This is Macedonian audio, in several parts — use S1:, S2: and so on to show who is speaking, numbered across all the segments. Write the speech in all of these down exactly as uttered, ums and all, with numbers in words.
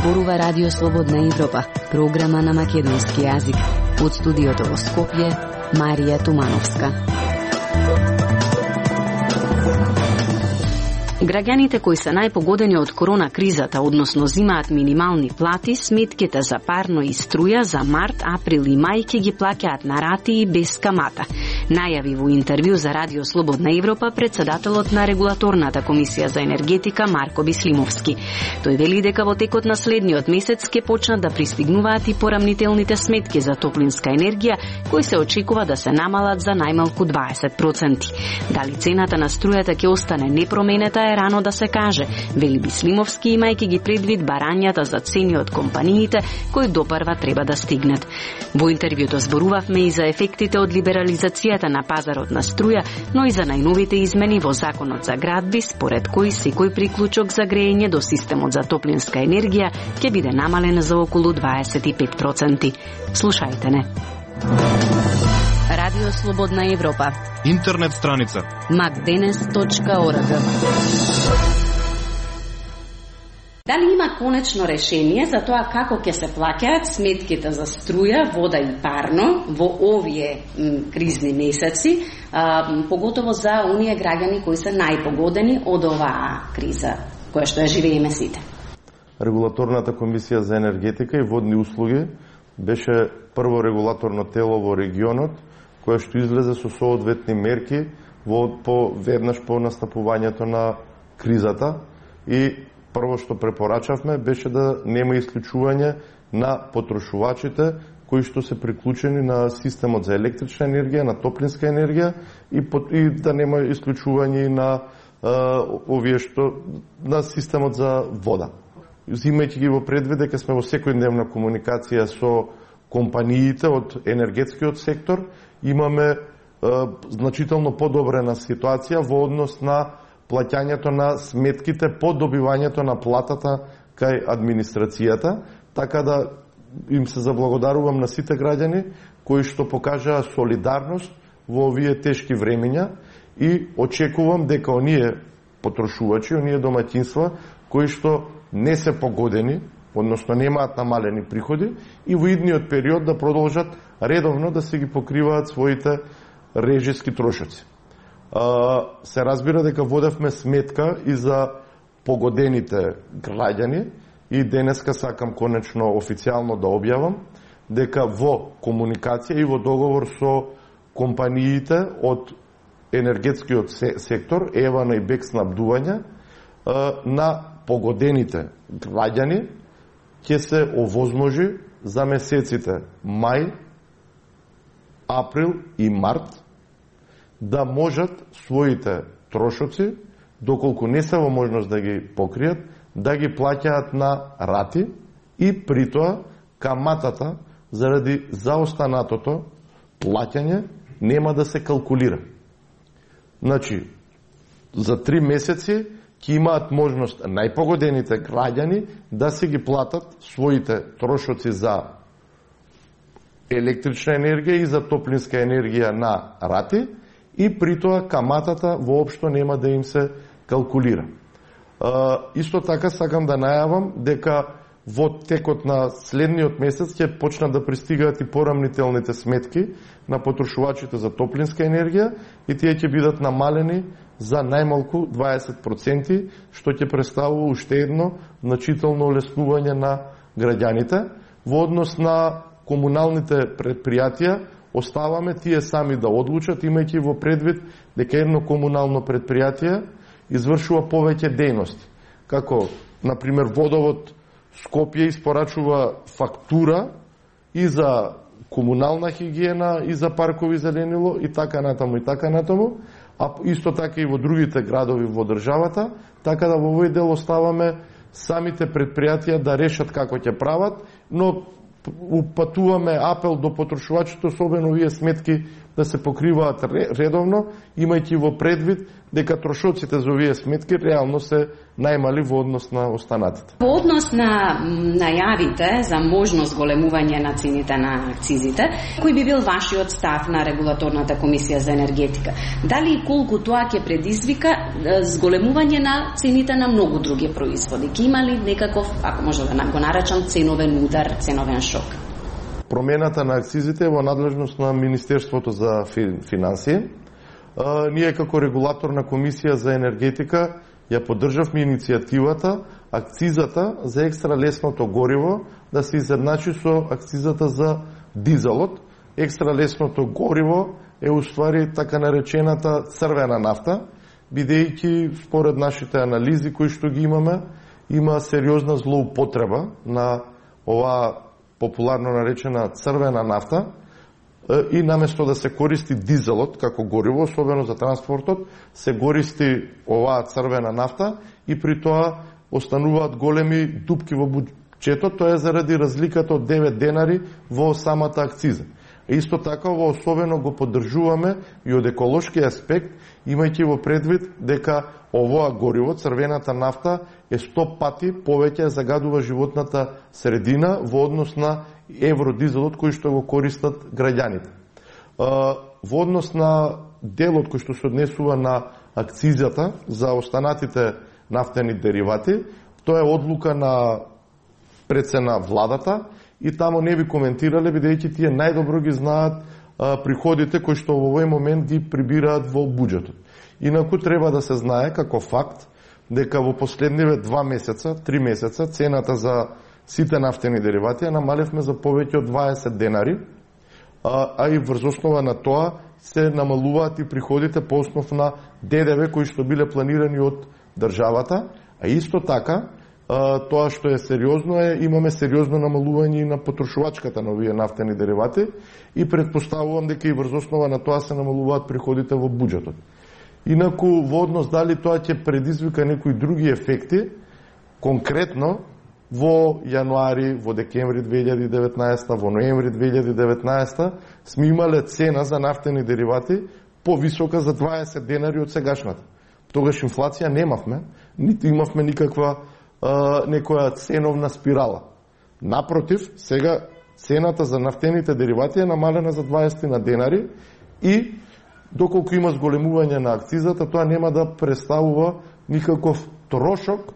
S1: зборува Радио Слободна Европа, програма на македонски јазик. Од студиото во Скопје, Марија Тумановска. Граѓаните кои се најпогодени од корона кризата, односно зимаат минимални плати, сметките за парно и струја за март, април и мај ќе ги плаќаат на рати и без камата. Најави во интервју за Радио Слободна Европа председателот на Регулаторната комисија за енергетика Марко Бислимовски. Тој вели дека во текот на следниот месец ќе почнат да пристигнуваат и порамнителните сметки за топлинска енергија, кои се очекува да се намалат за најмалку дваесет проценти. Дали цената на струјата ќе остане непроменета е рано да се каже, вели Бислимовски, имајќи ги предвид барањата за цени од компаниите кои допрва треба да стигнат. Во интервјуто зборувавме и за ефектите од либерализацијата на пазарот на струја, но и за најновите измени во Законот за градби, според кои секој приклучок за грејење до системот за топлинска енергија ќе биде намален за околу дваесет и пет проценти. Слушајте не. Радио Слободна Европа.
S2: Интернет страница
S1: макденес точка орг. Дали има конечно решение за тоа како ќе се плаќаат сметките за струја, вода и парно во овие м, кризни месеци, а, поготово за оние граѓани кои се најпогодени од оваа криза, која што ја живееме сите?
S3: Регулаторната комисија за енергетика и водни услуги беше прво регулаторно тело во регионот, кое што излезе со соодветни мерки во по веднаш по настапувањето на кризата, и прво што препорачавме беше да нема исклучување на потрошувачите кои што се приклучени на системот за електрична енергија, на топлинска енергија, и, и да нема исклучување на а, овие што на системот за вода. Зимајќи ги во предвид дека сме во секојдневна комуникација со компаниите од енергетскиот сектор, имаме е, значително подобрена ситуација во однос на плаќањето на сметките по добивањето на платата кај администрацијата, така да им се заблагодарувам на сите граѓани кои што покажаа солидарност во овие тешки времења, и очекувам дека оние потрошувачи, оние домаќинства кои што не се погодени, односно немаат намалени приходи, и во идниот период да продолжат редовно да се ги покриваат своите режиски трошоци. Се разбира дека водевме сметка и за погодените граѓани, и денеска сакам конечно официјално да објавам дека во комуникација и во договор со компаниите од енергетскиот сектор, Евана и Бек снабдување, на погодените граѓани ќе се овозможи за месеците мај, април и март да можат своите трошоци, доколку не се во можност да ги покријат, да ги плаќаат на рати, и притоа каматата заради заостанатото плаќање нема да се калкулира. Значи, за три месеци ќе имаат можност најпогодените граѓани да се ги платат своите трошоци за електрична енергија и за топлинска енергија на рати, и притоа каматата воопшто нема да им се калкулира. А, исто така сакам да најавам дека во текот на следниот месец ќе почнат да пристигаат и порамнителните сметки на потрошувачите за топлинска енергија, и тие ќе бидат намалени за најмалку дваесет проценти, што ќе представува уште едно значително олеснување на граѓаните. Во однос на комуналните предпријатија, оставаме тие сами да одлучат, имајќи во предвид дека едно комунално предпријатие извршува повеќе дејности. Како, например, Водовод Скопје испорачува фактура и за комунална хигиена, и за паркови зеленило, и така натаму, и така натаму, а исто така и во другите градови во државата, така да во овој дел оставаме самите предпријатија да решат како ќе прават, но упатуваме апел до потрошувачите, особено овие сметки да се покриваат редовно, имајќи во предвид дека трошоците за овие сметки реално се најмали во однос на останатите.
S1: Во однос на најавите за можност големување на цените на акцизите, кој би бил вашиот став на регулаторната комисија за енергетика? Дали и колку тоа ќе предизвика зголемување на цените на многу други производи? Ќе има ли некаков, ако може да го наречам, ценовен удар, ценовен шок?
S3: Промената на акцизите е во надлежност на Министерството за финансии. Ние како регулаторна комисија за енергетика ја поддржавме иницијативата акцизата за екстра лесното гориво да се изедначи со акцизата за дизелот. Екстра лесното гориво е уствари така наречената црвена нафта, бидејќи според нашите анализи кои што ги имаме, има сериозна злоупотреба на оваа популарно наречена црвена нафта, и наместо да се користи дизелот како гориво, особено за транспортот, се користи оваа црвена нафта и при тоа остануваат големи дупки во буџетот, тоа е заради разликата од девет денари во самата акциза. Исто така, ово особено го поддржуваме и од еколошки аспект, имајќи во предвид дека овоа гориво, црвената нафта, е сто пати повеќе загадува животната средина во однос на евродизелот кој што го користат граѓаните. Во однос на делот кој што се однесува на акцизата за останатите нафтени деривати, тоа е одлука на прецена владата и тамо не би коментирале, бидејќи тие најдобро ги знаат приходите кои што во овој момент ги прибираат во буџетот. Инаку треба да се знае како факт дека во последниве два месеца, три месеца, цената за сите нафтени деривати ја намалевме за повеќе од дваесет денари, а, а и врз основа на тоа се намалуваат и приходите по основ на ДДВ кои што биле планирани од државата, а исто така а, тоа што е сериозно е, имаме сериозно намалување на потрошувачката на овие нафтени деривати и предпоставувам дека и врз основа на тоа се намалуваат приходите во буџетот. Инаку во однос дали тоа ќе предизвика некои други ефекти, конкретно во јануари, во декември две илјади и деветнаесета, во ноември две илјади и деветнаесета сме имале цена за нафтени деривати повисока за дваесет денари од сегашната. Тогаш инфлација немавме, ниту имавме никаква а, некоја ценовна спирала. Напротив, сега цената за нафтените деривати е намалена за дваесет на денари и доколку има зголемување на акцизата, тоа нема да представува никаков трошок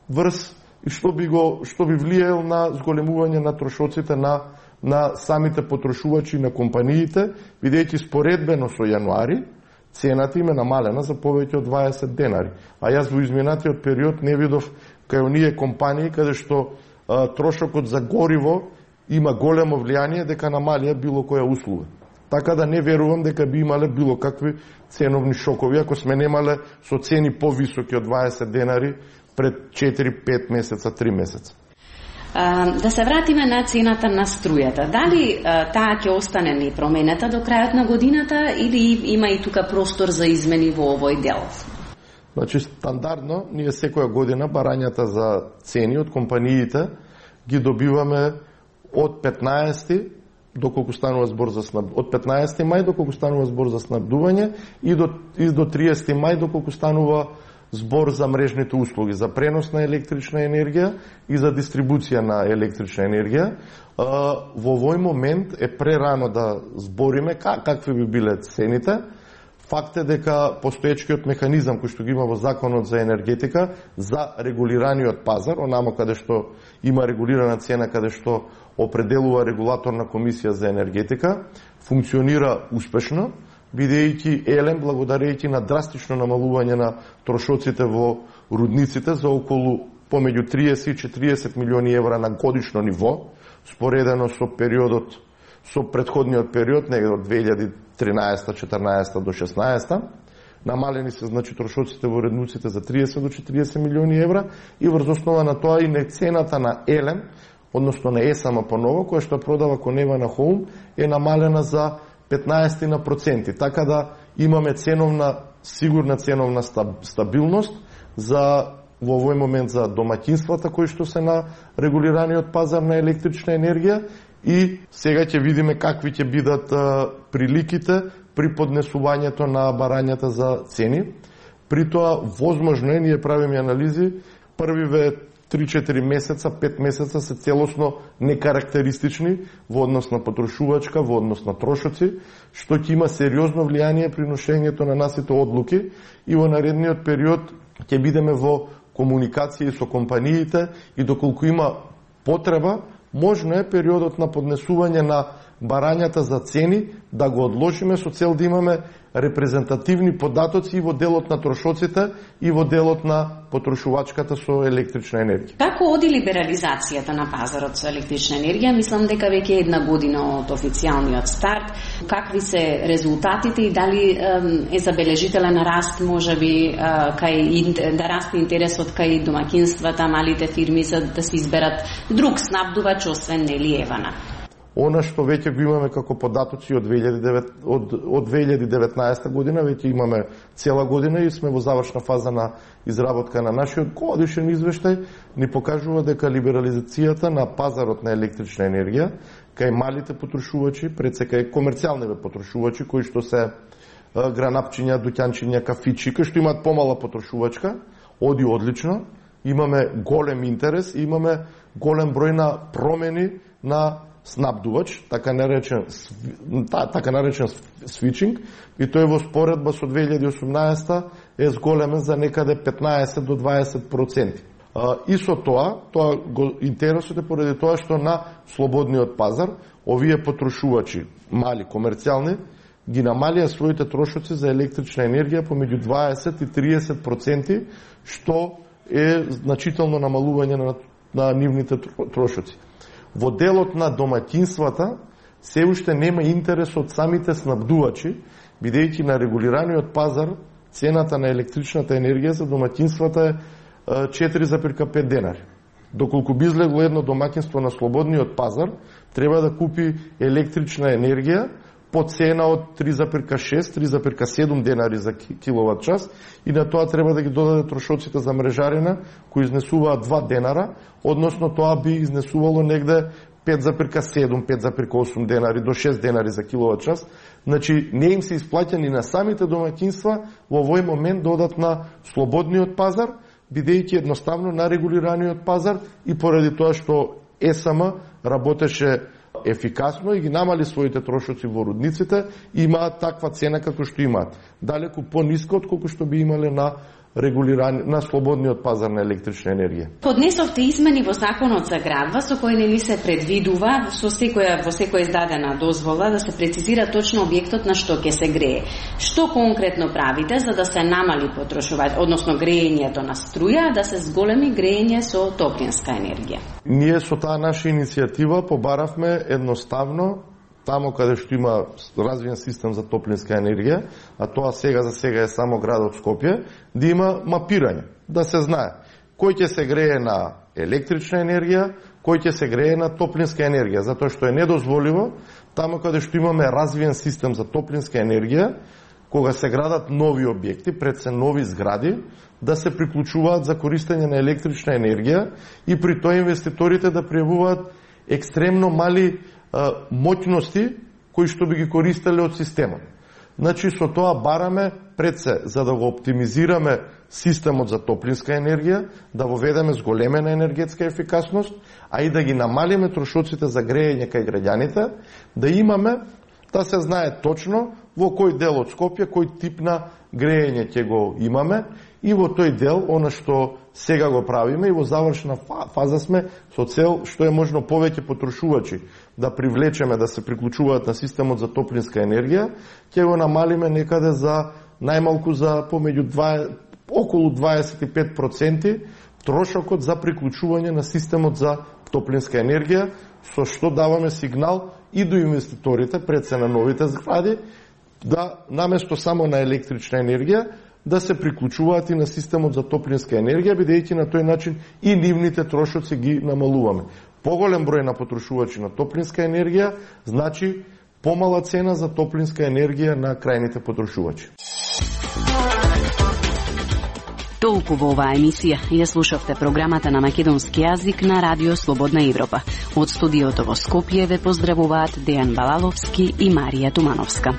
S3: врз и што би го што би влијаел на зголемување на трошоците на на самите потрошувачи на компаниите, бидејќи споредбено со јануари цената им е намалена за повеќе од дваесет денари. А јас во изминатиот период не видов кај оние компании каде што а, трошокот за гориво има големо влијание дека намалија било која услуга. Така да не верувам дека би имале било какви ценовни шокови ако сме немале со цени повисоки од дваесет денари пред четири пет месеца, три месеца.
S1: А, да се вратиме на цената на струјата. Дали а, таа ќе остане непроменета до крајот на годината или има и тука простор за измени во овој дел?
S3: Значи, стандардно, ние секоја година барањата за цени од компаниите ги добиваме од петнаесети доколку станува збор за снаб... од петнаесети мај доколку станува збор за снабдување и до, и до триесети мај доколку станува збор за мрежните услуги, за пренос на електрична енергија и за дистрибуција на електрична енергија. Во овој момент е прерано да збориме какви би биле цените. Факт е дека постоечкиот механизам кој што ги има во Законот за енергетика за регулираниот пазар, онамо каде што има регулирана цена, каде што определува регулаторна комисија за енергетика, функционира успешно, бидејќи Елем, благодарејќи на драстично намалување на трошоците во рудниците за околу помеѓу триесет и четириесет милиони евра на годишно ниво, споредено со периодот, со претходниот период, негде од две илјади и тринаесета, четрнаесета до шеснаесета, намалени се значи трошоците во рудниците за триесет до четириесет милиони евра и врз основа на тоа и на цената на Елем, односно на ЕСАМ поново, која што продава конева на Хоум, е намалена за петнаесет на проценти. Така да имаме ценовна, сигурна ценовна стабилност за во овој момент за домаќинствата кои што се на регулираниот пазар на електрична енергија и сега ќе видиме какви ќе бидат а, приликите при поднесувањето на барањата за цени. При тоа, возможно е, ние правиме анализи, првиве три-четири месеца, пет месеца се целосно некарактеристични во однос на потрошувачка, во однос на трошоци, што ќе има сериозно влијание при ношењето на насите одлуки и во наредниот период ќе бидеме во комуникација со компаниите и доколку има потреба, можно е периодот на поднесување на барањата за цени да го одложиме со цел да имаме репрезентативни податоци и во делот на трошоците и во делот на потрошувачката со електрична енергија.
S1: Како оди либерализацијата на пазарот со електрична енергија? Мислам дека веќе една година од официјалниот старт. Какви се резултатите и дали е забележителен раст, можеби кај да расте интересот кај домаќинствата, малите фирми за да се изберат друг снабдувач освен нели Евана?
S3: Она што веќе го имаме како податоци од две илјади и деветнаесета година, веќе имаме цела година и сме во завршна фаза на изработка на нашиот годишен извештај, ни покажува дека либерализацијата на пазарот на електрична енергија кај малите потрошувачи, пред се кај комерцијалните потрошувачи кои што се гранапчиња, дуќанчиња, кафичи, кои што имаат помала потрошувачка, оди одлично. Имаме голем интерес и имаме голем број на промени на снабдувач, така наречен така наречен свичинг, и тој во споредба со две илјади и осумнаесета е зголемен за некаде петнаесет до дваесет проценти. И со тоа, тоа го интересот е поради тоа што на слободниот пазар овие потрошувачи, мали комерцијални, ги намалија своите трошоци за електрична енергија помеѓу дваесет и триесет проценти, што е значително намалување на, на нивните трошоци. Во делот на домаќинствата се уште нема интерес од самите снабдувачи, бидејќи на регулираниот пазар цената на електричната енергија за домаќинствата е четири зарез пет денари. Доколку би излегло едно домаќинство на слободниот пазар, треба да купи електрична енергија по цена од три зарез шест - три зарез седум денари за киловат час и на тоа треба да ги додаде трошоците за мрежарина кои изнесуваат два денара, односно тоа би изнесувало негде пет зарез седум - пет зарез осум денари до шест денари за киловат час. Значи не им се исплаќа ни на самите домаќинства во овој момент да одат на слободниот пазар, бидејќи едноставно на регулираниот пазар и поради тоа што Е С М работеше ефикасно и ги намали своите трошоци во рудниците, имаат таква цена како што имаат. Далеку пониска од колку што би имале на регулирани на слободниот пазар на електрична енергија.
S1: Поднесовте измени во законот за градва со кои не ни се предвидува со секоја во секоја издадена дозвола да се прецизира точно објектот на што ќе се грее. Што конкретно правите за да се намали потрошување, односно греењето на струја, да се зголеми греење со топлинска енергија?
S3: Ние со таа наша иницијатива побаравме едноставно тамо каде што има развиен систем за топлинска енергија, а тоа сега за сега е само градот Скопје, да има мапирање, да се знае кој ќе се грее на електрична енергија, кој ќе се грее на топлинска енергија, затоа што е недозволиво тамо каде што имаме развиен систем за топлинска енергија, кога се градат нови објекти, пред се нови згради, да се приклучуваат за користење на електрична енергија и при тоа инвеститорите да пријавуваат екстремно мали моќности кои што би ги користеле од системот. Значи, со тоа бараме пред се, за да го оптимизираме системот за топлинска енергија, да воведеме зголемена енергетска ефикасност, а и да ги намалиме трошоците за греење кај граѓаните, да имаме, да се знае точно во кој дел од Скопје, кој тип на греење ќе го имаме, и во тој дел, она што сега го правиме и во завршна фаза сме со цел што е можно повеќе потрошувачи да привлечеме да се приклучуваат на системот за топлинска енергија, ќе го намалиме некаде за најмалку за помеѓу два, околу дваесет и пет проценти трошокот за приклучување на системот за топлинска енергија, со што даваме сигнал и до инвеститорите пред се на новите згради да наместо само на електрична енергија да се приклучуваат и на системот за топлинска енергија, бидејќи на тој начин и нивните трошоци ги намалуваме. Поголем број на потрошувачи на топлинска енергија значи помала цена за топлинска енергија на крајните потрошувачи.
S1: Толку во оваа емисија. Ја слушавте програмата на македонски јазик на Радио Слободна Европа. Од студиото во Скопје ве поздравуваат Дејан Балаловски и Марија Тумановска.